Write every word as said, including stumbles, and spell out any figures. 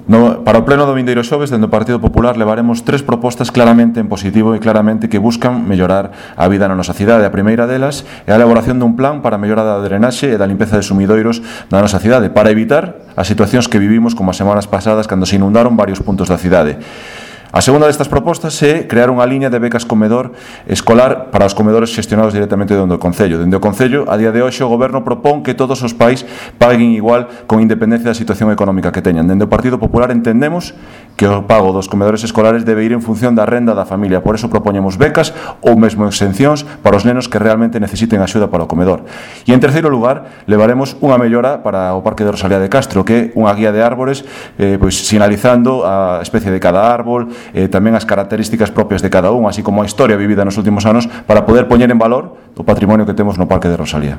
No, para o pleno do vindeiro xoves, dende o Partido Popular, levaremos tres propostas claramente en positivo e claramente que buscan mellorar a vida na nosa cidade. A primeira delas é a elaboración dun plan para a mellora da drenaxe e da limpeza de sumidoiros na nosa cidade, para evitar as situacións que vivimos como as semanas pasadas cando se inundaron varios puntos da cidade. A segunda destas propostas é crear unha liña de becas comedor escolar para os comedores xestionados directamente dende o Concello. Dende o Concello, a día de hoxe, o Goberno propón que todos os pais paguen igual con independencia da situación económica que teñan. Dende o Partido Popular entendemos que o pago dos comedores escolares debe ir en función da renda da familia. Por eso propoñemos becas ou mesmo exencións para os nenos que realmente necesiten axuda para o comedor. E en terceiro lugar, levaremos unha mellora para o Parque de Rosalía de Castro, que é unha guía de árbores eh, pois, sinalizando a especie de cada árbol, eh, tamén as características propias de cada un, así como a historia vivida nos últimos anos, para poder poñer en valor o patrimonio que temos no Parque de Rosalía.